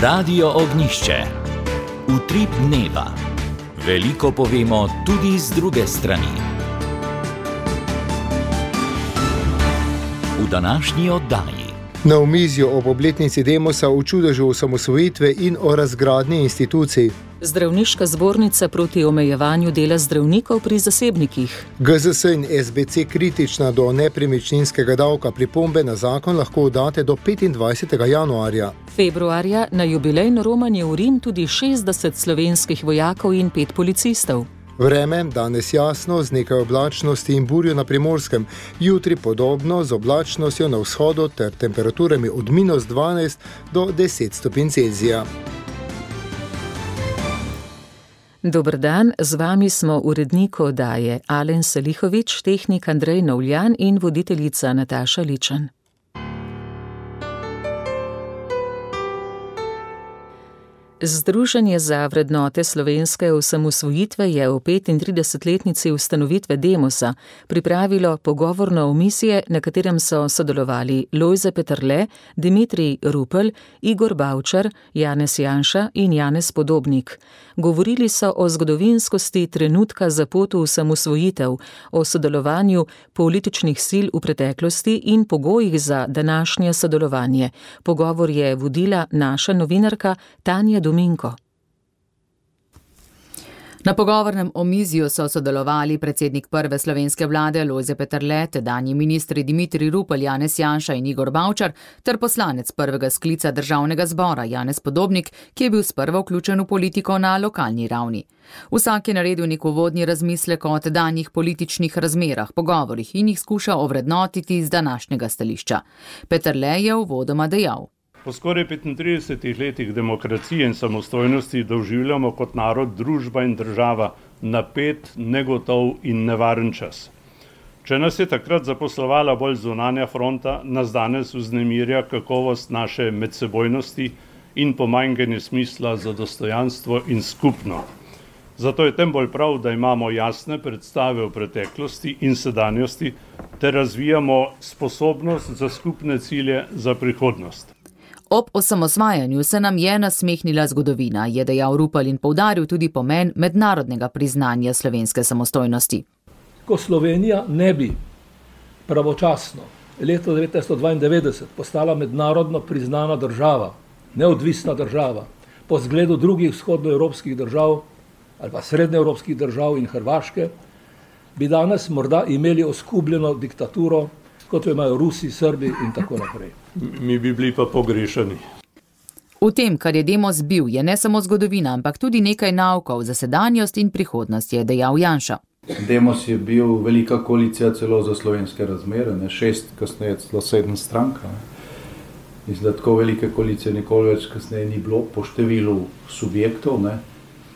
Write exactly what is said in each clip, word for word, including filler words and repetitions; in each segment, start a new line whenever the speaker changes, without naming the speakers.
Radio Ognjišče. Utrip dneva. Veliko povemo tudi z druge strani. V današnji oddaji.
Na omizju ob obletnici Demosa v čudežu osamosvojitve in o razgradnji institucij.
Zdravniška zbornica proti omejevanju dela zdravnikov pri zasebnikih.
G Z S in S B C kritična do nepremičninskega davka, pripombe na zakon lahko date do petindvajsetega januarja.
Februarja na jubilejno romanje v Rim tudi šestdeset slovenskih vojakov in pet policistov.
Vreme danes jasno z nekaj oblačnosti in burjo na Primorskem, jutri podobno z oblačnostjo na vzhodu ter temperaturami od minus dvanajst do deset stopinj Celzija.
Dober dan, z vami smo urednik oddaje Alen Salihovič, tehnik Andrej Novljan in voditeljica Nataša Ličan. Združenje za vrednote slovenske osamosvojitve je v petintridesetletnici ustanovitve Demosa pripravilo pogovorno omizje, na katerem so sodelovali Lojze Peterle, Dimitrij Rupel, Igor Bavčar, Janez Janša in Janez Podobnik. Govorili so o zgodovinskosti trenutka za pot v osamosvojitev, o sodelovanju političnih sil v preteklosti in pogojih za današnje sodelovanje. Pogovor je vodila naša novinarka Tanja Dominko.
Na pogovornem omizju so sodelovali predsednik prve slovenske vlade Lojze Peterle, tedanji ministri Dimitrij Rupel, Janez Janša in Igor Bavčar ter poslanec prvega sklica državnega zbora Janez Podobnik, ki je bil sprva vključen v politiko na lokalni ravni. Vsak je naredil nek uvodni razmislek o tedanjih političnih razmerah, pogovorih in jih skušal ovrednotiti z današnjega stališča. Peterle je uvodoma dejal:
Po skoraj petintridesetih letih demokracije in samostojnosti doživljamo kot narod, družba in država napet, negotov in nevaren čas. Če nas je takrat zaposlovala bolj zunanja fronta, nas danes vznemirja kakovost naše medsebojnosti in pomanjkanje smisla za dostojanstvo in skupno. Zato je tem bolj prav, da imamo jasne predstave o preteklosti in sedanjosti ter razvijamo sposobnost za skupne cilje za prihodnost.
Ob osamosvajanju se nam je nasmehnila zgodovina, je dejal Rupel in poudaril tudi pomen mednarodnega priznanja slovenske samostojnosti.
Ko Slovenija ne bi pravočasno leta devetnajststo dvaindevetdeset postala mednarodno priznana država, neodvisna država, po zgledu drugih vzhodnoevropskih držav ali pa srednjeevropskih držav in Hrvaške, bi danes morda imeli oskubljeno diktaturo, kot jo imajo Rusi, Srbi in tako naprej.
Mi bi bili pa pogrešani.
V tem, kar je Demos bil, je ne samo zgodovina, ampak tudi nekaj naukov za sedanjost in prihodnost, je dejal Janša.
Demos je bil velika koalicija celo za slovenske razmere, ne šest, kasneje celo sedem strank. Mislim, da tako velike koalicije nikoli več kasneje ni bilo po številu subjektov, ne.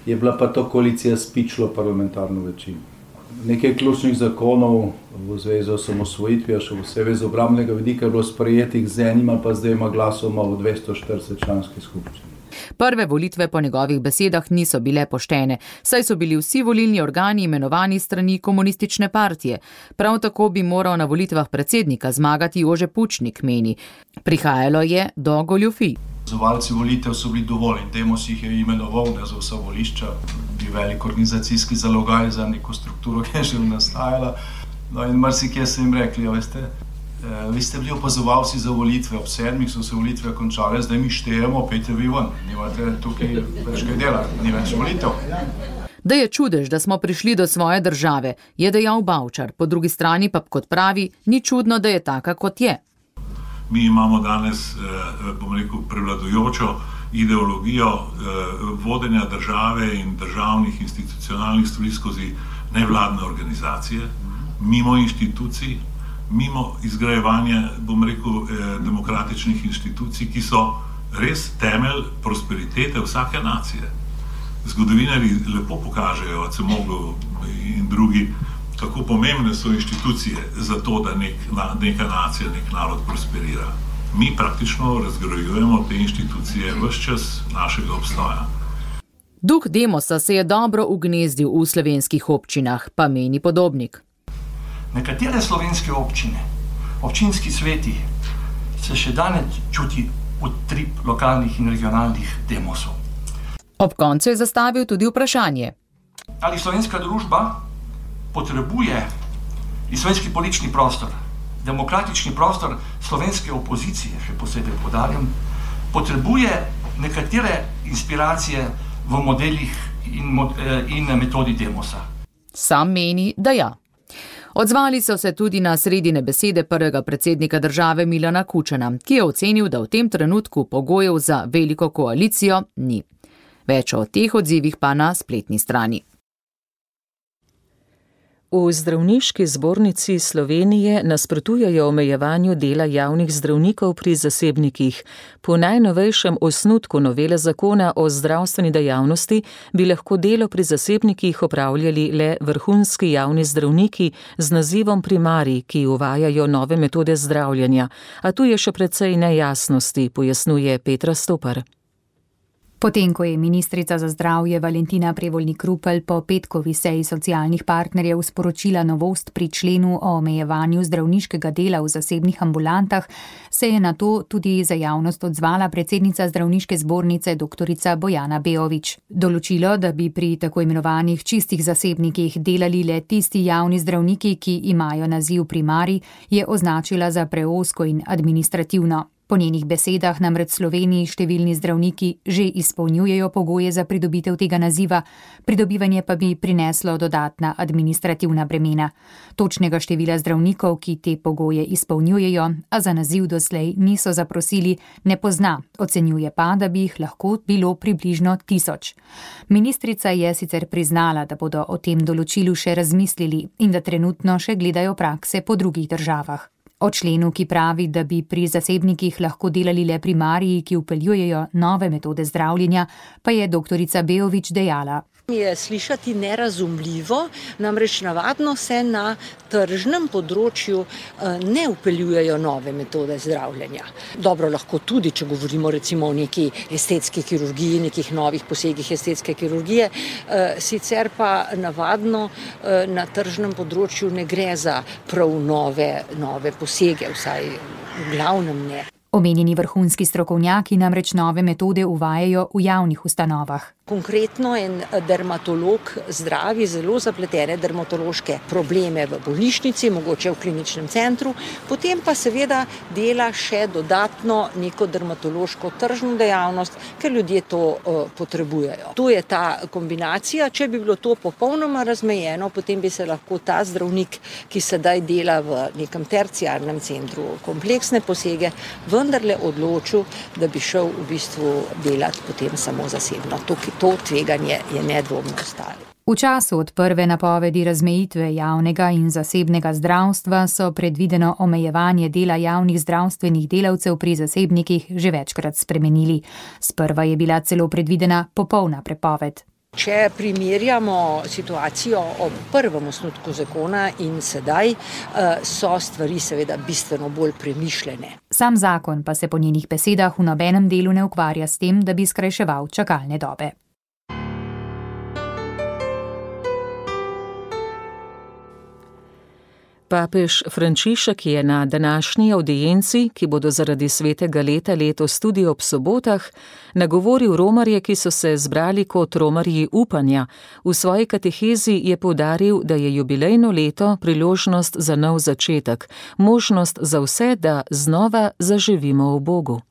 Je bila pa to koalicija s pičlo parlamentarno večino. Nekaj ključnih zakonov v zvezi z osamosvojitvijo, še posebej z obrambnega vidika, je bilo sprejetih z enim ali pa z dvema glasoma v dvesto štirideset članski skupščini.
Prve volitve po njegovih besedah niso bile poštene, saj so bili vsi volilni organi imenovani strani komunistične partije. Prav tako bi moral na volitvah predsednika zmagati Jože Pučnik, meni. Prihajalo je do goljufij.
Opazovalci volitev so bili dovolj in Demos jih je imenoval, ne za vsa volišča, bi velik organizacijski zalogaj za neko strukturo, ki je že nastajala. No in marsikje so jim rekli, ja, veste, eh, vi ste bili opazovalci za volitve, ob sedmih so se volitve končale, zdaj mi štejemo, pejte vi ven, nimate tukaj več kaj dela, ni več volitev.
Da je čudež, da smo prišli do svoje države, je dejal Bavčar, po drugi strani pa, kot pravi, ni čudno, da je taka, kot je.
Mi imamo danes, bom rekel, prevladujočo ideologijo vodenja države in državnih institucionalnih stvari skozi nevladne organizacije, mimo inštitucij, mimo izgrajevanja, bom rekel, demokratičnih inštitucij, ki so res temelj prosperitete vsake nacije. Zgodovinarji lepo pokažejo, Acemoglu in drugi, kako pomembne so inštitucije za to, da nek, neka nacija, nek narod prosperira. Mi praktično razgrajujemo te inštitucije ves čas našega obstoja.
Duh Demosa se je dobro ugnezdil v slovenskih občinah, pa meni Podobnik.
Nekatere slovenske občine, občinski sveti, se še danes čuti
utrip lokalnih in regionalnih demosov.
Ob koncu je zastavil tudi vprašanje.
Ali slovenska družba potrebuje in slovenski politični prostor, demokratični prostor slovenske opozicije, še posebej poudarjam, potrebuje nekatere inspiracije v modelih in, mod, in metodi demosa?
Sam meni, da ja. Odzvali so se tudi na sredine besede prvega predsednika države Milana Kučana, ki je ocenil, da v tem trenutku pogojev za veliko koalicijo ni. Več o teh odzivih pa na spletni strani.
V Zdravniški zbornici Slovenije nasprotujejo omejevanju dela javnih zdravnikov pri zasebnikih. Po najnovejšem osnutku novele zakona o zdravstveni dejavnosti bi lahko delo pri zasebnikih opravljali le vrhunski javni zdravniki z nazivom primarij, ki uvajajo nove metode zdravljenja. A tu je še precej nejasnosti, pojasnjuje Petra Stopar.
Potem, ko je ministrica za zdravje Valentina Prevolnik Rupel po petkovi seji socialnih partnerjev sporočila novost pri členu o omejevanju zdravniškega dela v zasebnih ambulantah, se je na to tudi za javnost odzvala predsednica Zdravniške zbornice doktorica Bojana Beović. Določilo, da bi pri tako imenovanih čistih zasebnikih delali le tisti javni zdravniki, ki imajo naziv primarij, je označila za preozko in administrativno. Po njenih besedah namreč v Sloveniji številni zdravniki že izpolnjujejo pogoje za pridobitev tega naziva, pridobivanje pa bi prineslo dodatna administrativna bremena. Točnega števila zdravnikov, ki te pogoje izpolnjujejo, a za naziv doslej niso zaprosili, ne pozna, ocenjuje pa, da bi jih lahko bilo približno tisoč. Ministrica je sicer priznala, da bodo o tem določilu še razmislili in da trenutno še gledajo prakse po drugih državah. O členu, ki pravi, da bi pri zasebnikih lahko delali le primariji, ki vpeljujejo nove metode zdravljenja, pa je doktorica Beović dejala.
Je slišati nerazumljivo, namreč navadno se na tržnem področju ne vpeljujejo nove metode zdravljenja. Dobro, lahko tudi, če govorimo recimo o neki estetski kirurgiji, nekih novih posegih estetske kirurgije, sicer pa navadno na tržnem področju ne gre za prav nove, nove posege, vsaj v glavnem ne.
Omenjeni vrhunski strokovnjaki namreč nove metode uvajajo v javnih ustanovah.
Konkretno en dermatolog zdravi zelo zapletene dermatološke probleme v bolnišnici, mogoče v kliničnem centru, potem pa seveda dela še dodatno neko dermatološko tržno dejavnost, ker ljudje to uh, potrebujejo. Tu je ta kombinacija, če bi bilo to popolnoma razmejeno, potem bi se lahko ta zdravnik, ki sedaj dela v nekem terciarnem centru kompleksne posege, vendarle odločil, da bi šel v bistvu delati potem samo zasebno. To, to tveganje je nedvomno ostalo.
V času od prve napovedi razmejitve javnega in zasebnega zdravstva so predvideno omejevanje dela javnih zdravstvenih delavcev pri zasebnikih že večkrat spremenili. Sprva je bila celo predvidena popolna prepoved.
Če primerjamo situacijo ob prvem osnutku zakona in sedaj, so stvari seveda bistveno bolj premišljene.
Sam zakon pa se po njenih besedah v nobenem delu ne ukvarja s tem, da bi skrajševal čakalne dobe.
Papež Frančišek je na današnji avdienci, ki bodo zaradi svetega leta letos tudi ob sobotah, nagovoril romarje, ki so se zbrali kot romarji upanja. V svoji katehezi je poudaril, da je jubilejno leto priložnost za nov začetek, možnost za vse, da znova zaživimo v Bogu.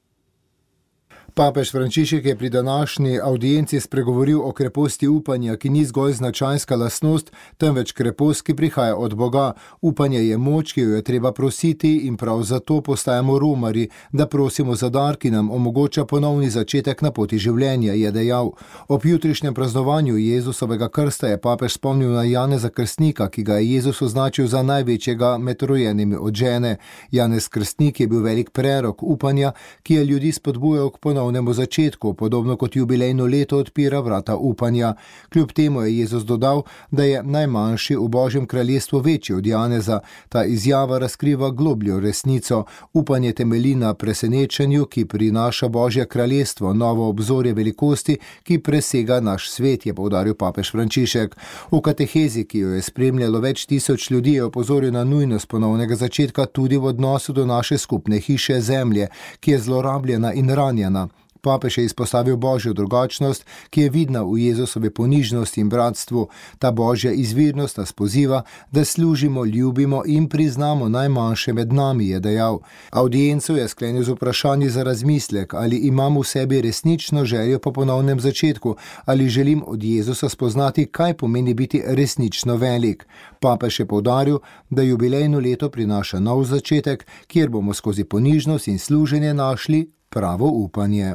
Papež Frančišek je pri današnji avdienci spregovoril o kreposti upanja, ki ni zgolj značajska lastnost, temveč krepost, ki prihaja od Boga. Upanje je moč, ki jo je treba prositi in prav zato postajamo romarji, da prosimo za dar, ki nam omogoča ponovni začetek na poti življenja, je dejal. Ob jutrišnjem praznovanju Jezusovega krsta je papež spomnil na Janeza Krstnika, ki ga je Jezus označil za največjega med rojenimi od žene. Janez Krstnik je bil velik prerok upanja, ki je ljudi spodbujal k ponovni ponovnemu začetku, podobno kot jubilejno leto odpira vrata upanja. Kljub temu je Jezus dodal, da je najmanjši v Božjem kraljestvu večji od Janeza. Ta izjava razkriva globljo resnico. Upanje temelji na presenečenju, ki prinaša Božje kraljestvo, novo obzorje velikosti, ki presega naš svet, je poudaril papež Frančišek. V katehezi, ki jo je spremljalo več tisoč ljudi, je opozoril na nujnost ponovnega začetka tudi v odnosu do naše skupne hiše zemlje, ki je zlorabljena in ranjena. Papež je izpostavil Božjo drugačnost, ki je vidna v Jezusovi ponižnosti in bratstvu. Ta Božja izvirnost nas poziva, da služimo, ljubimo in priznamo najmanjše med nami, je dejal. Audienco je sklenil z vprašanji za razmislek, ali imam v sebi resnično željo po ponovnem začetku, ali želim od Jezusa spoznati, kaj pomeni biti resnično velik. Papež je poudaril, da jubilejno leto prinaša nov začetek, kjer bomo skozi ponižnost in služenje našli pravo upanje.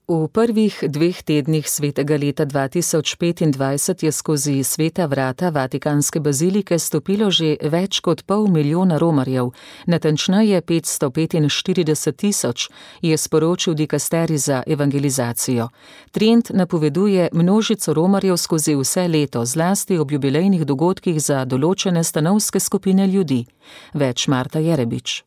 V prvih dveh tednih svetega leta dva tisoč petindvajset je skozi sveta vrata Vatikanske bazilike stopilo že več kot pol milijona romarjev, natančneje petsto petinštirideset tisoč, je sporočil dikasterij za evangelizacijo. Trend napoveduje množico romarjev skozi vse leto, zlasti ob jubilejnih dogodkih za določene stanovske skupine ljudi. Več Marta Jerebič.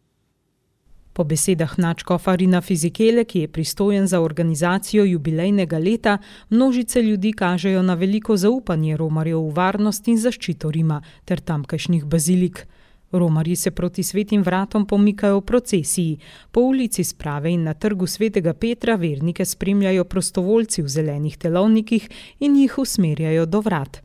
Po besedah nadškofa Rina Fizikele, ki je pristojen za organizacijo jubilejnega leta, množice ljudi kažejo na veliko zaupanje romarjev v varnost in zaščito Rima ter tamkajšnjih bazilik. Romarji se proti svetim vratom pomikajo v procesiji. Po ulici Sprave in na trgu svetega Petra vernike spremljajo prostovoljci v zelenih telovnikih in jih usmerjajo do vrat.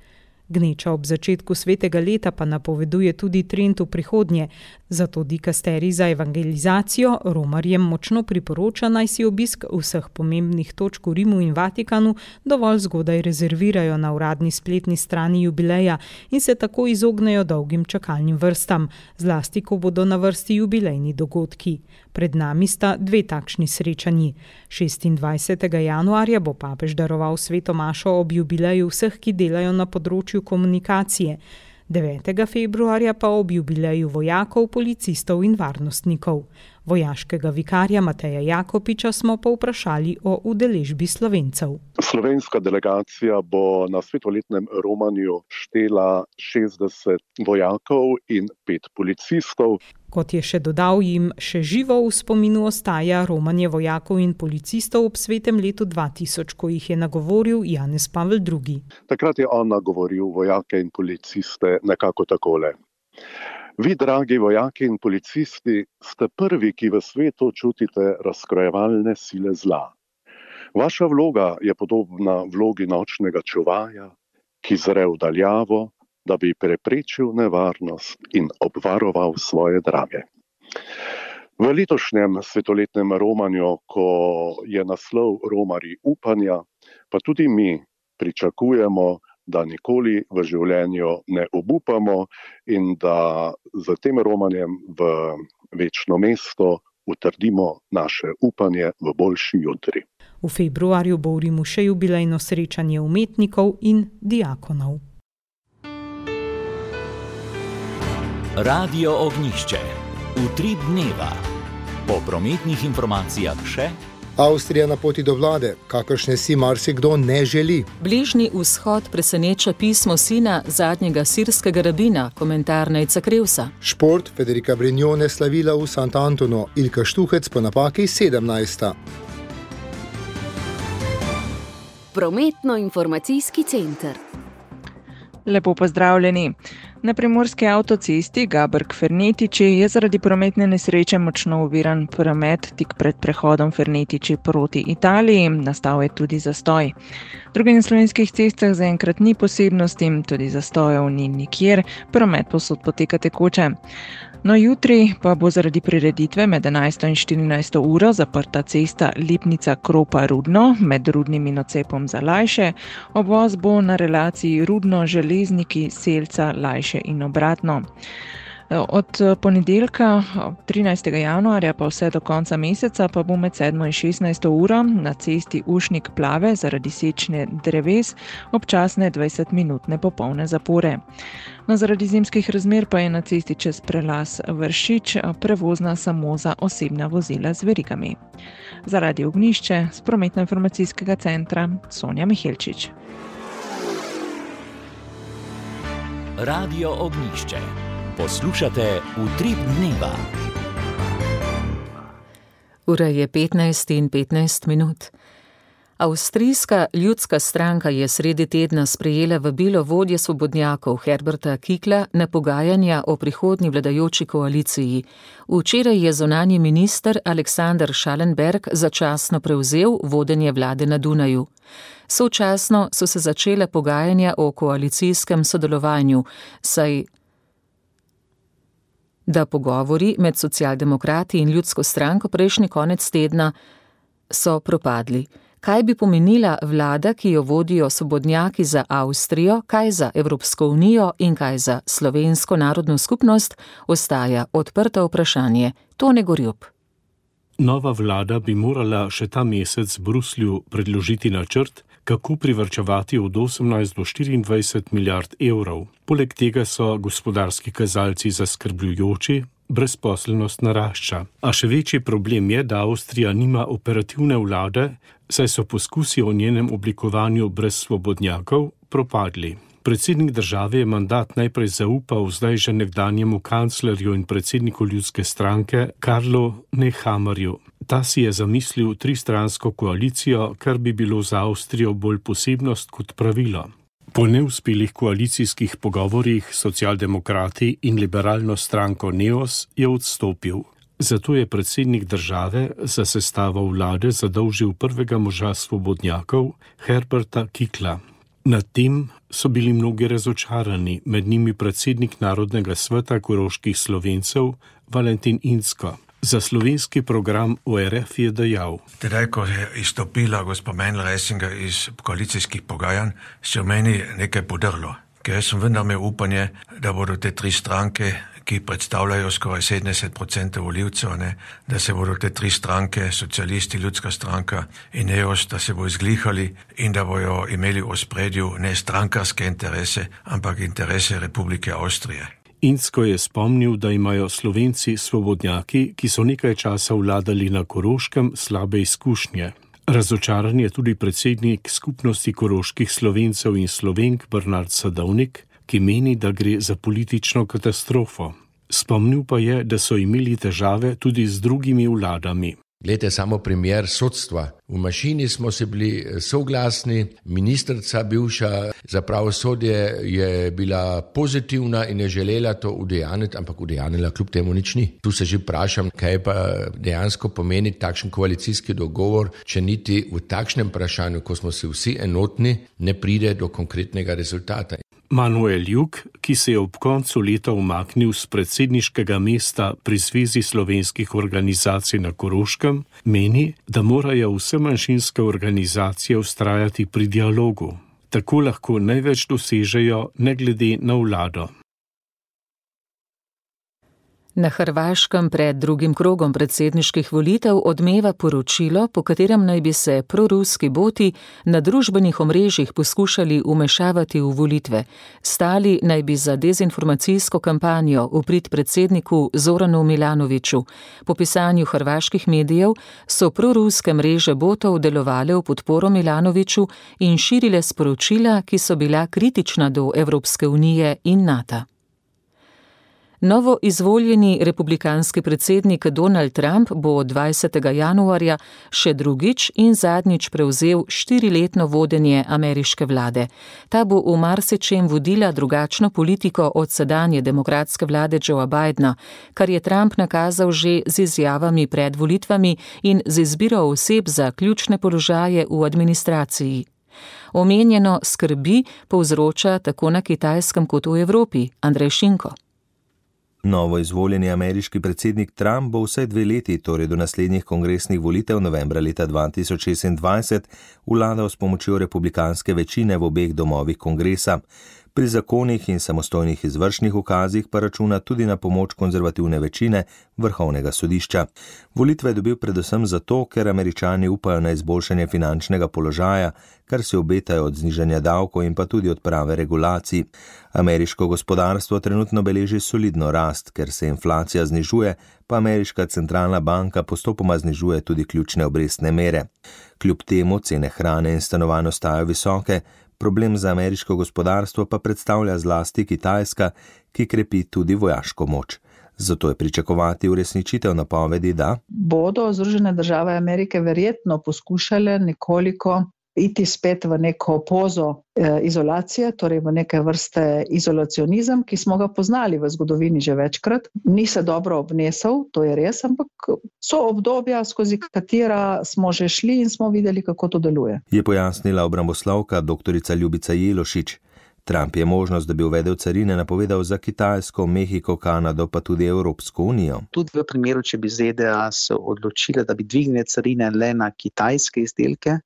Gneča ob začetku svetega leta pa napoveduje tudi trend v prihodnje, zato dikasterij za evangelizacijo romarjem močno priporoča, naj si obisk vseh pomembnih točk v Rimu in Vatikanu dovolj zgodaj rezervirajo na uradni spletni strani jubileja in se tako izognejo dolgim čakalnim vrstam, zlasti ko bodo na vrsti jubilejni dogodki. Pred nami sta dve takšni srečanji. šestindvajsetega januarja bo papež daroval sveto mašo ob jubileju vseh, ki delajo na področju komunikacije. devetega februarja pa ob jubileju vojakov, policistov in varnostnikov. Vojaškega vikarja Mateja Jakopiča smo povprašali o udeležbi Slovencev.
Slovenska delegacija bo na svetoletnem romanju štela šestdeset vojakov in pet policistov.
Kot je še dodal, jim še živo v spominu ostaja romanje vojakov in policistov ob svetem letu dva tisoč, ko jih je nagovoril Janez Pavel drugi.
Takrat je on nagovoril vojake in policiste nekako takole. Vi, dragi vojaki in policisti, ste prvi, ki v svetu čutite razkrojevalne sile zla. Vaša vloga je podobna vlogi nočnega čuvaja, ki zre v daljavo, da bi preprečil nevarnost in obvaroval svoje drage. V letošnjem svetoletnem romanju, ko je naslov Romarji upanja, pa tudi mi pričakujemo, da nikoli v življenju ne obupamo in da z tem romanjem v večno mesto utrdimo naše upanje v boljši jutri.
V februarju bo v Rimu še jubilejno srečanje umetnikov in diakonov.
Radio Ognjišče. Utrip dneva. Po prometnih informacijah še
Avstrija na poti do vlade, kakršne si marsikdo ne želi.
Bližnji vzhod preseneča pismo sina zadnjega sirskega rabina, komentar Nejca Krevsa.
Šport Federica Brignone slavila v Sant'Antonu, Ilka Štuhec po napaki sedemnajsta.
Prometno-informacijski center.
Lepo pozdravljeni. Na primorski avtocesti Gaberg-Fernetiči je zaradi prometne nesreče močno oviran promet tik pred prehodom Fernetiči proti Italiji, nastal je tudi zastoj. Drugih na slovenskih cestah zaenkrat ni posebnosti, tudi zastojev ni nikjer, promet povsod poteka tekoče. No, jutri pa bo zaradi prireditve med enajsto in štirinajsto uro zaprta cesta Lipnica-Kropa-Rudno med Rudnim in odcepom za Lajše. Obvoz bo na relaciji Rudno-Železniki, Selca, Lajše in obratno. Od ponedeljka, trinajstega januarja pa vse do konca meseca pa bo med sedmo in šestnajsto uro na cesti Ušnik Plave zaradi sečne dreves občasne dvajsetminutne popolne zapore. No, zaradi zimskih razmer pa je na cesti čez prelaz Vršič prevozna samo za osebna vozila z verigami. Zaradi Ognjišče z prometno-informacijskega centra Sonja Mihelčič.
Radio Ognjišče. Poslušate Utrip dneva.
Ura je petnajst in petnajst minut. Avstrijska ljudska stranka je sredi tedna sprejela vabilo vodje svobodnjakov Herberta Kickla na pogajanja o prihodnji vladajoči koaliciji. Včeraj je zunanji minister Alexander Schallenberg začasno prevzel vodenje vlade na Dunaju. Sočasno so se začele pogajanja o koalicijskem sodelovanju, saj da pogovori med socialdemokrati in ljudsko stranko prejšnji konec tedna so propadli. Kaj bi pomenila vlada, ki jo vodijo svobodnjaki za Avstrijo, kaj za Evropsko unijo in kaj za slovensko narodno skupnost, ostaja odprto vprašanje. Tone Gorjup.
Nova vlada bi morala še ta mesec Bruslju predložiti načrt, kako privarčevati od osemnajst do štiriindvajset milijard evrov. Poleg tega so gospodarski kazalci zaskrbljujoči, brezposelnost narašča. A še večji problem je, da Avstrija nima operativne vlade, saj so poskusi o njenem oblikovanju brez svobodnjakov propadli. Predsednik države je mandat najprej zaupal zdaj že nekdanjemu kanclerju in predsedniku ljudske stranke Karlu Nehammerju. Ta si je zamislil tristransko koalicijo, kar bi bilo za Avstrijo bolj posebnost kot pravilo. Po neuspelih koalicijskih pogovorjih socialdemokrati in liberalno stranko Neos je odstopil. Zato je predsednik države za sestavo vlade zadolžil prvega moža svobodnjakov Herberta Kickla. Nad tem so bili mnogi razočarani, med njimi predsednik Narodnega sveta koroških Slovencev Valentin Incko. Za slovenski program O R F je dejal:
Tedaj, ko je izstopila gospa Menl-Ressinger iz koalicijskih pogajanj, se v meni nekaj podrlo, ker jaz sem vendar imel upanje, da bodo te tri stranke, ki predstavljajo skoraj sedemdeset procentov volivcev, ne, da se bodo te tri stranke, socialisti, ljudska stranka in Neos, da se bo izglihali in da bojo imeli v ospredju ne strankarske interese, ampak interese Republike Avstrije.
Incko je spomnil, da imajo Slovenci svobodnjaki, ki so nekaj časa vladali na Koroškem, slabe izkušnje. Razočaran je tudi predsednik skupnosti koroških Slovencev in Slovenk Bernard Sadovnik, ki meni, da gre za politično katastrofo. Spomnil pa je, da so imeli težave tudi z drugimi vladami.
Glejte, samo primer sodstva. V mašini smo se bili soglasni, ministrica bivša za pravosodje je bila pozitivna in je želela to udejaniti, ampak udejanila kljub temu nič ni. Tu se že vprašam, kaj pa dejansko pomeni takšen koalicijski dogovor, če niti v takšnem vprašanju, ko smo si vsi enotni, ne pride do konkretnega rezultata.
Manuel Juk, ki se je ob koncu leta umaknil z predsedniškega mesta pri Zvezi slovenskih organizacij na Koroškem, meni, da morajo vse manjšinske organizacije vztrajati pri dialogu. Tako lahko največ dosežejo ne glede na vlado.
Na Hrvaškem pred drugim krogom predsedniških volitev odmeva poročilo, po katerem naj bi se proruski boti na družbenih omrežjih poskušali umešavati v volitve. Stali naj bi za dezinformacijsko kampanjo v prid predsedniku Zoranu Milanoviću. Po pisanju hrvaških medijev so proruske mreže botov delovale v podporo Milanoviću in širile sporočila, ki so bila kritična do Evropske unije in NATO. Novo izvoljeni republikanski predsednik Donald Trump bo dvajsetega januarja še drugič in zadnjič prevzel štiriletno vodenje ameriške vlade. Ta bo v marsičem vodila drugačno politiko od sedanje demokratske vlade Joea Bidena, kar je Trump nakazal že z izjavami pred volitvami in z izbiro oseb za ključne položaje v administraciji. Omenjeno skrbi povzroča tako na Kitajskem kot v Evropi. Andrej Šinko.
Novo izvoljeni ameriški predsednik Trump bo vsaj dve leti, torej do naslednjih kongresnih volitev novembra leta dva tisoč šestindvajset, vladal s pomočjo republikanske večine v obeh domovih kongresa. Pri zakonih in samostojnih izvršnih ukazih pa računa tudi na pomoč konzervativne večine Vrhovnega sodišča. Volitve je dobil predvsem zato, ker Američani upajo na izboljšanje finančnega položaja, kar se obetajo od znižanja davkov in pa tudi odprave regulacij. Ameriško gospodarstvo trenutno beleži solidno rast, ker se inflacija znižuje, pa ameriška centralna banka postopoma znižuje tudi ključne obrestne mere. Kljub temu cene hrane in stanovanj ostajajo visoke, problem za ameriško gospodarstvo pa predstavlja zlasti Kitajska, ki krepi tudi vojaško moč. Zato je pričakovati uresničitev napovedi, da
bodo Združene države Amerike verjetno poskušale nekoliko iti spet v neko pozo eh, izolacije, torej v neke vrste izolacionizem, ki smo ga poznali v zgodovini že večkrat. Ni se dobro obnesel, to je res, ampak so obdobja, skozi katera smo že šli in smo videli, kako to deluje.
Je pojasnila obramboslovka doktorica Ljubica Jelošič. Trump je možnost, da bi uvedel carine, napovedal za Kitajsko, Mehiko, Kanado pa tudi Evropsko unijo.
Tudi v primeru, če bi Z D A se odločile, da bi dvignile carine le na kitajske izdelke,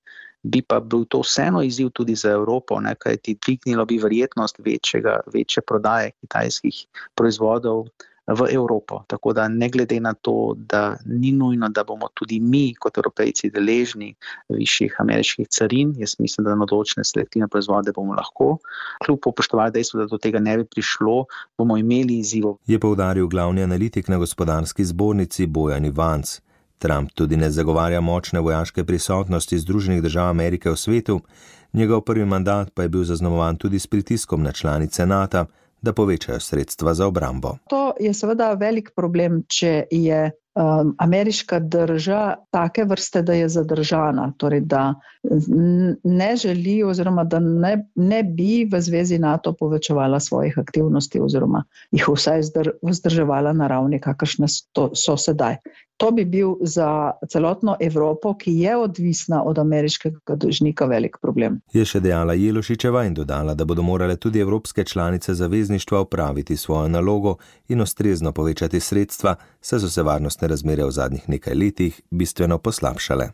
bi pa bil to vseeno izziv tudi za Evropo, ne, kajti dvignilo bi verjetnost večjega, večje prodaje kitajskih proizvodov v Evropo. Tako da ne glede na to, da ni nujno, da bomo tudi mi kot Evropejci deležni višjih ameriških carin, jaz mislim, da na določene selektivne proizvode bomo lahko, kljub upoštevali dejstvo, da do tega ne bi prišlo, bomo imeli izzivov.
Je poudaril glavni analitik na gospodarski zbornici Bojan Ivanc. Trump tudi ne zagovarja močne vojaške prisotnosti Združenih držav Amerike v svetu, njegov prvi mandat pa je bil zaznamovan tudi s pritiskom na članice NATO, da povečajo sredstva za obrambo.
To je seveda velik problem, če je um, ameriška drža take vrste, da je zadržana, torej da ne želi oziroma da ne, ne bi v zvezi NATO povečevala svojih aktivnosti oziroma jih vsaj vzdrževala na ravni, kakršne so, so sedaj. To bi bil za celotno Evropo, ki je odvisna od ameriškega dolžnika, velik problem.
Je še dejala Jelošičeva in dodala, da bodo morale tudi evropske članice zavezništva opraviti svojo nalogo in ustrezno povečati sredstva, saj so se varnostne razmere v zadnjih nekaj letih bistveno poslabšale.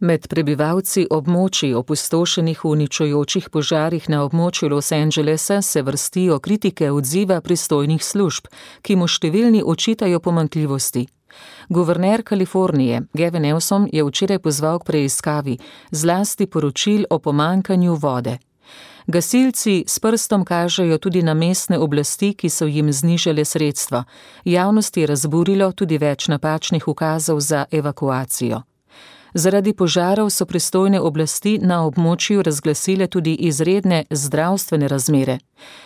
Med prebivalci območij opustošenih v uničujočih požarih na območju Los Angelesa se vrstijo kritike odziva pristojnih služb, ki mu številni očitajo pomanjkljivosti. Guverner Kalifornije Gavin Newsom je včeraj pozval k preiskavi, zlasti poročil o pomanjkanju vode. Gasilci s prstom kažejo tudi na mestne oblasti, ki so jim znižale sredstva. Javnost je razburilo tudi več napačnih ukazov za evakuacijo. Zaradi požarov so pristojne oblasti na območju razglasile tudi izredne zdravstvene razmere.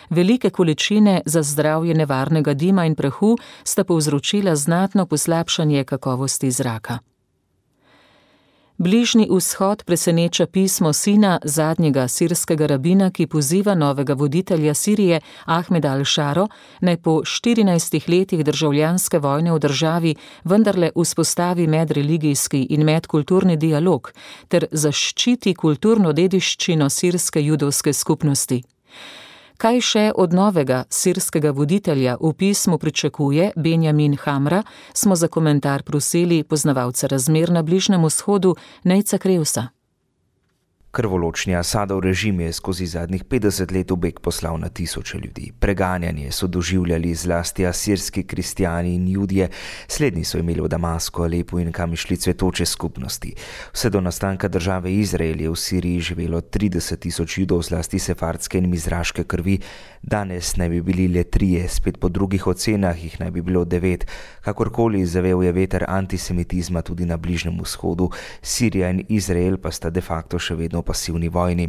Velike količine za zdravje nevarnega dima in prahu sta povzročila znatno poslabšanje kakovosti zraka. Bližnji vzhod preseneča pismo sina zadnjega sirskega rabina, ki poziva novega voditelja Sirije Ahmeda al-Šaro, naj po štirinajstih letih državljanske vojne v državi vendarle vzpostavi medreligijski in medkulturni dialog ter zaščiti kulturno dediščino sirske judovske skupnosti. Kaj še od novega sirskega voditelja v pismu pričakuje Benjamin Hamra, smo za komentar prosili poznavalca razmer na Bližnjem vzhodu Nejca Krevsa.
Krvoločni Asadov režim je skozi zadnjih petdeset let v beg poslal na tisoče ljudi. Preganjanje so doživljali zlasti asirski kristijani in judje, slednji so imeli v Damasku, Alepu in kam išli cvetoče skupnosti. Vse do nastanka države Izrael je v Siriji živelo trideset tisoč judov, zlasti sefardske in mizraške krvi. Danes naj bi bili le trije, spet po drugih ocenah jih naj bi bilo devet. Kakorkoli zavel je veter antisemitizma tudi na Bližnjem vzhodu, Sirija in Izrael pa sta de facto še vedno pasivni vojni.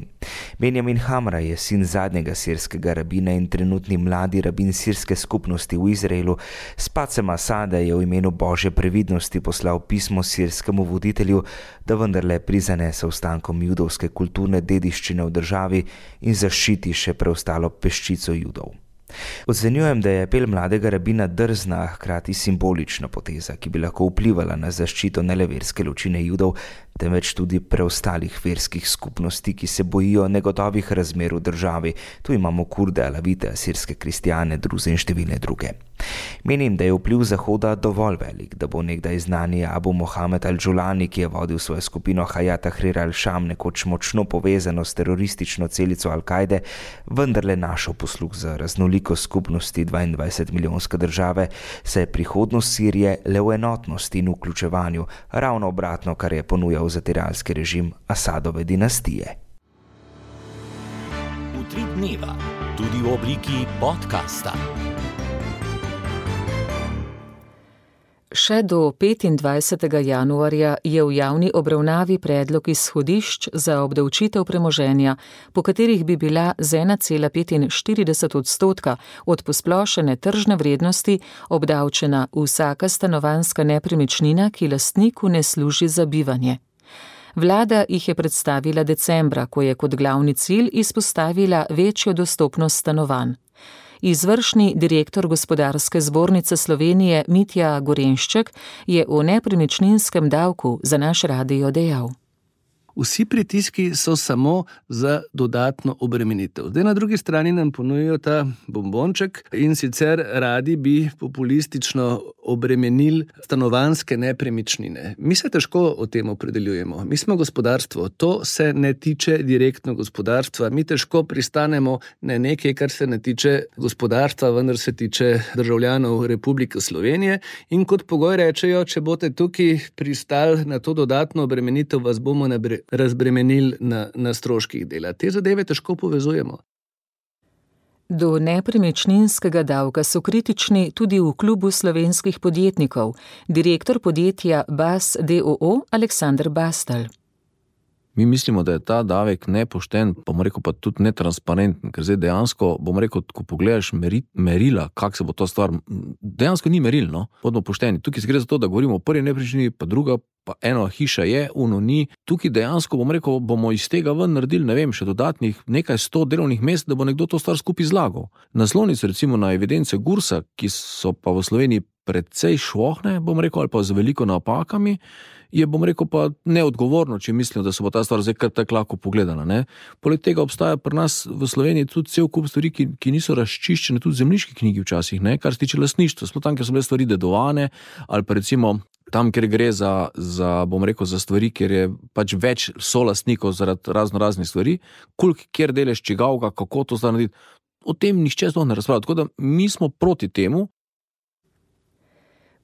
Benjamin Hamra je sin zadnjega sirskega rabina in trenutni mladi rabin sirske skupnosti v Izraelu. S padcem Asada je v imenu Božje previdnosti poslal pismo sirskemu voditelju, da vendarle prizanese ostankom judovske kulturne dediščine v državi in zaščiti še preostalo peščico judov. Ocenjujem, da je apel mladega rabina drzna, hkrati simbolična poteza, ki bi lahko vplivala na zaščito ne le verske ločine Judov, temveč tudi preostalih verskih skupnosti, ki se bojijo negotovih razmer v državi. Tu imamo Kurde, Alavite, asirske kristjane, druze in številne druge. Menim, da je vpliv Zahoda dovolj velik, da bo nekdaj znani Abu Mohamed al-Džulani, ki je vodil svojo skupino Hayat Tahrir al-Sham, nekoč močno povezano s teroristično celico Al-Kaide, vendarle našel posluh za raznolikost skupnosti dvaindvajset milijonske države, saj je prihodnost Sirije le v enotnosti in vključevanju, ravno obratno, kar je ponujal zatiralski režim Asadove dinastije.
Utrip dneva, tudi v obliki podcasta.
Še do petindvajsetega januarja je v javni obravnavi predlog izhodišč za obdavčitev premoženja, po katerih bi bila z ena cela petinštirideset odstotka od posplošene tržne vrednosti obdavčena vsaka stanovanjska nepremičnina, ki lastniku ne služi za bivanje. Vlada jih je predstavila decembra, ko je kot glavni cilj izpostavila večjo dostopnost stanovanj. Izvršni direktor Gospodarske zbornice Slovenije Mitja Gorenšček je o nepremičninskem davku za naš radio dejal.
Vsi pritiski so samo za dodatno obremenitev. Zdaj na drugi strani nam ponujajo ta bombonček in sicer radi bi populistično obremenili stanovanjske nepremičnine. Mi se težko o tem opredeljujemo. Mi smo gospodarstvo, to se ne tiče direktno gospodarstva. Mi težko pristanemo na nekaj, kar se ne tiče gospodarstva, vendar se tiče državljanov Republike Slovenije. In kot pogoj rečejo, če boste tukaj pristali na to dodatno obremenitev, vas bomo nabre razbremenili na, na stroških dela. Te zadeve težko povezujemo.
Do nepremičninskega davka so kritični tudi v klubu slovenskih podjetnikov, direktor podjetja Bas d. o. o. Aleksander Bastel.
Mi mislimo, da je ta davek nepošten, pa bom rekel pa tudi netransparenten, ker zdaj dejansko, bom rekel, ko pogledaš meri, merila, kak se bo to stvar, dejansko ni meril, no, bodimo pošteni. Tukaj se gre za to, da govorimo o prvi nepremičnini, pa druga, pa eno hiša je, uno ni. Tukaj dejansko, bom rekel, bomo iz tega ven naredili, ne vem, še dodatnih nekaj sto delovnih mest, da bo nekdo to stvar skupaj zlagal. Naslovnice recimo na evidence Gursa, ki so pa v Sloveniji precej švohne, bom rekel, ali pa z veliko napakami, je, bom rekel, pa neodgovorno, če mislim, da se bo ta stvar zdaj kar tako lahko pogledala. Ne? Poleg tega obstaja pri nas v Sloveniji tudi cel kup stvari, ki, ki niso razčiščene, tudi zemljiški knjigi včasih, ne? Kar se tiče lastništva. Smo tam, kjer so bile stvari dedovane, ali pa recimo tam, kjer gre za, za, bom rekel, za stvari, kjer je pač več solastnikov zaradi razno raznih stvari, koliko, kjer delež čigavga, kako to zdaj narediti. O tem nihče sploh ne razpravlja. Tako da mi smo proti temu.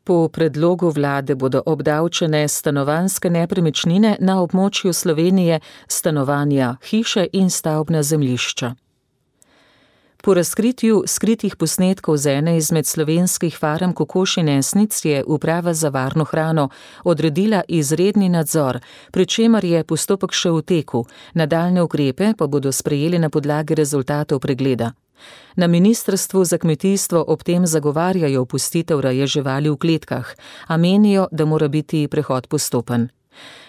Po predlogu vlade bodo obdavčene stanovanjske nepremičnine na območju Slovenije, stanovanja, hiše in stavbna zemljišča. Po razkritju skritih posnetkov z ene izmed slovenskih farm kokoš in esnic je Uprava za varno hrano odredila izredni nadzor, pri čemer je postopek še v teku, nadaljnje ukrepe pa bodo sprejeli na podlagi rezultatov pregleda. Na Ministrstvu za kmetijstvo ob tem zagovarjajo opustitev reje živali v kletkah, a menijo, da mora biti prehod postopen.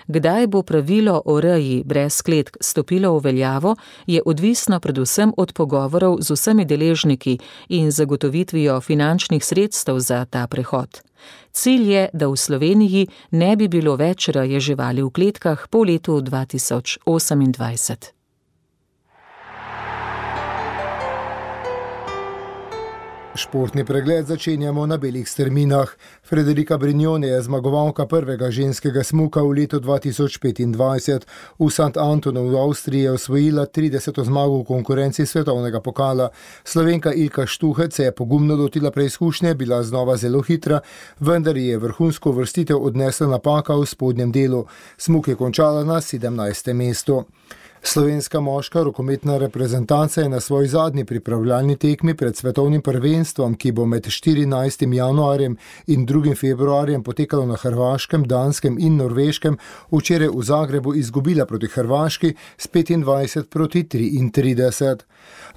Kdaj bo pravilo o reji brez kletk stopilo v veljavo, je odvisno predvsem od pogovorov z vsemi deležniki in zagotovitvijo finančnih sredstev za ta prehod. Cilj je, da v Sloveniji ne bi bilo več reje živali v kletkah po letu dva tisoč osemindvajset.
Športni pregled začenjamo na belih strminah. Frederika Brignone je zmagovalka prvega ženskega smuka v letu dva tisoč petindvajset. V Sant Antonu v Avstriji je osvojila trideseto zmago v konkurenci svetovnega pokala. Slovenka Ilka Štuhec se je pogumno lotila preizkušnje, bila znova zelo hitra, vendar je vrhunsko uvrstitev odnesla napaka v spodnjem delu. Smuk je končala na sedemnajstem mestu. Slovenska moška rokometna reprezentanca je na svoji zadnji pripravljalni tekmi pred svetovnim prvenstvom, ki bo med štirinajstim januarjem in drugim februarjem potekalo na Hrvaškem, Danskem in Norveškem, včeraj v Zagrebu izgubila proti Hrvaški s petindvajset proti triintrideset.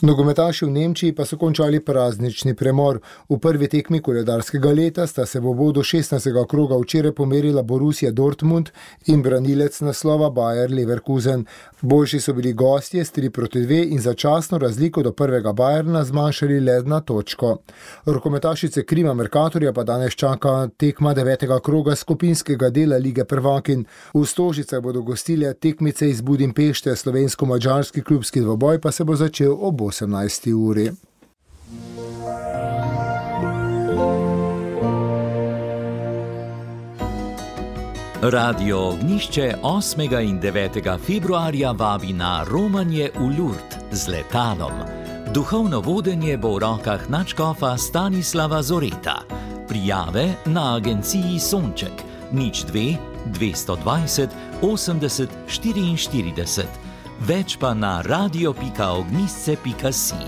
Nogometaši v Nemčiji pa so končali praznični premor. V prvi tekmi koledarskega leta sta se v bodu šestnajstega kroga včeraj pomerila Borussia Dortmund in branilec naslova Bayer Leverkusen. Boljši Naši so bili gostje s tri proti dve in začasno razliko do prvega Bayerna zmanjšali le na točko. Rokometašice Krima Mercatorja pa danes čaka tekma devetega kroga skupinskega dela Lige prvakinj. V Stožicah bodo gostile tekmice iz Budimpešte, slovensko-mađarski klubski dvoboj pa se bo začel ob osemnajsti uri.
Radio Ognjišče osmega in devetega februarja vabi na romanje v Lurd z letalom. Duhovno vodenje bo v rokah nadškofa Stanislava Zoreta. Prijave na agenciji Sonček nič dve dvesto dvajset osemdeset štiriinštirideset. Več pa na radio pika ognjisce pika si.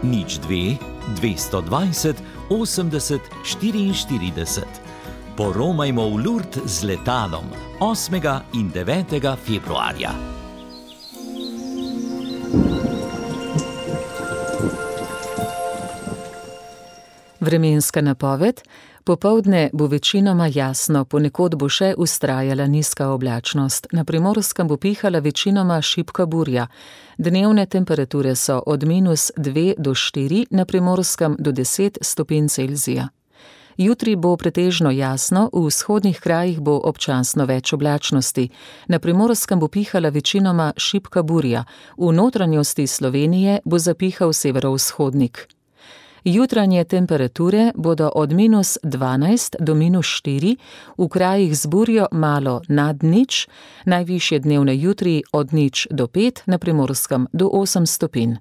nič dve dvesto dvajset osemdeset štiriinštirideset. Poromajmo v Lurd z letalom osmega in devetega februarja.
Vremenska napoved. Popoldne bo večinoma jasno, ponekod bo še vztrajala nizka oblačnost. Na Primorskem bo pihala večinoma šibka burja. Dnevne temperature so od minus dve do štiri, na Primorskem do deset stopinj Celzija. Jutri bo pretežno jasno, v vzhodnih krajih bo občasno več oblačnosti. Na Primorskem bo pihala večinoma šibka burja, v notranjosti Slovenije bo zapihal severovzhodnik. Jutranje temperature bodo od minus dvanajst do minus štiri, v krajih z burjo malo nad nič, najvišje dnevne jutri od nič do pet, na Primorskem do osem stopinj.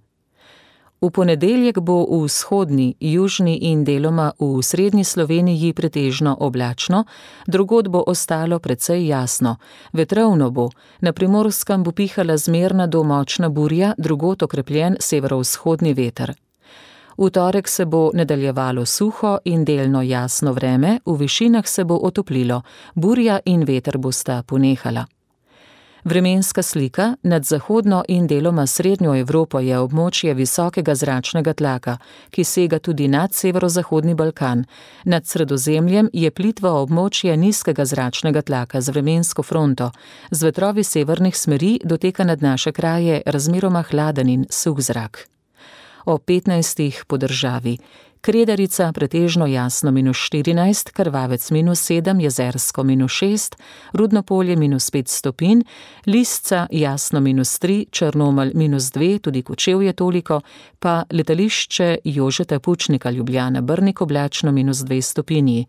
V ponedeljek bo v vzhodni, južni in deloma v srednji Sloveniji pretežno oblačno, drugod bo ostalo precej jasno. Vetrovno bo, na Primorskem bo pihala zmerna do močna burja, drugod okrepljen severovzhodni veter. V torek se bo nadaljevalo suho in delno jasno vreme, v višinah se bo otoplilo, burja in veter bosta ponehala. Vremenska slika. Nad zahodno in deloma srednjo Evropo je območje visokega zračnega tlaka, ki sega tudi nad severozahodni Balkan. Nad Sredozemljem je plitvo območje nizkega zračnega tlaka z vremensko fronto. Z vetrovi severnih smeri doteka nad naše kraje razmeroma hladen in suh zrak. O petnajstih po državi. Kredarica pretežno jasno minus štirinajst, Krvavec minus sedem, Jezersko minus šest, Rudnopolje minus pet stopinj, Lisca jasno minus tri, Črnomelj minus dve, tudi Kočevje toliko, pa letališče Jožeta Pučnika Ljubljana Brnik oblačno minus dve stopinji.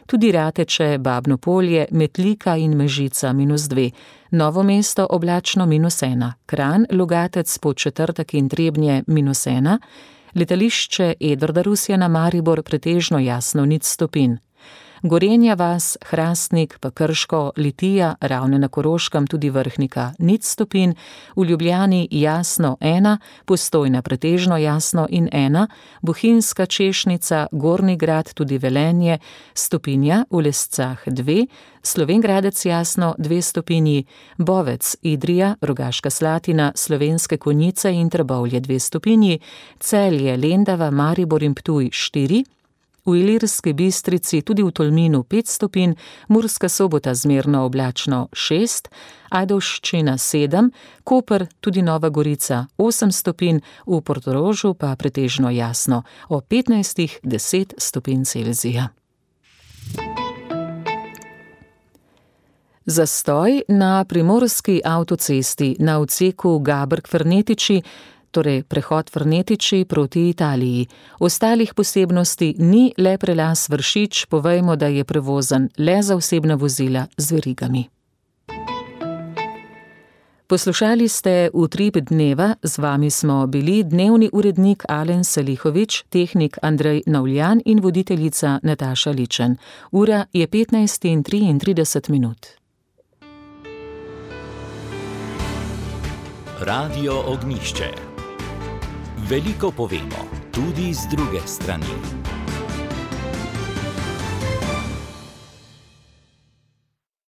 Tudi Rateče, Babno Polje, Metlika in Mežica minus dve, Novo mesto oblačno minus ena, Kranj, Logatec, Podčetrtek in Trebnje minus ena, letališče Edvarda Rusjana Maribor pretežno jasno nič stopinj. Gorenja vas, Hrastnik, pa Krško, Litija, Ravne na Koroškem, tudi Vrhnika nič stopinj, v Ljubljani jasno ena, Postojna pretežno jasno in ena, Bohinjska, Češnica, Gornji Grad, tudi Velenje, stopinja, v Lescah dve, Slovenj Gradec jasno dve stopinji, Bovec, Idrija, Rogaška Slatina, Slovenske Konjice in Trbovlje dve stopinji, Celje, Lendava, Maribor in Ptuj štiri, v Ilirski Bistrici, tudi v Tolminu pet stopinj, Murska Sobota zmerno oblačno šest, Ajdovščina sedem, Koper, tudi Nova Gorica osem stopinj, v Portorožu pa pretežno jasno, o petnajstih deset stopinj Celzija. Zastoj na primorski avtocesti na odseku Gabrk-Fernetiči, torej prehod Fernetiči proti Italiji. Ostalih posebnosti ni, le prelaz Vršič, povejmo, da je prevozen le za osebna vozila z verigami. Poslušali ste Utrip dneva, z vami smo bili dnevni urednik Alen Salihovič, tehnik Andrej Navljan in voditeljica Nataša Ličen. Ura je petnajst in triintrideset minut.
Radio Ognjišče. Veliko povemo, tudi z druge strani.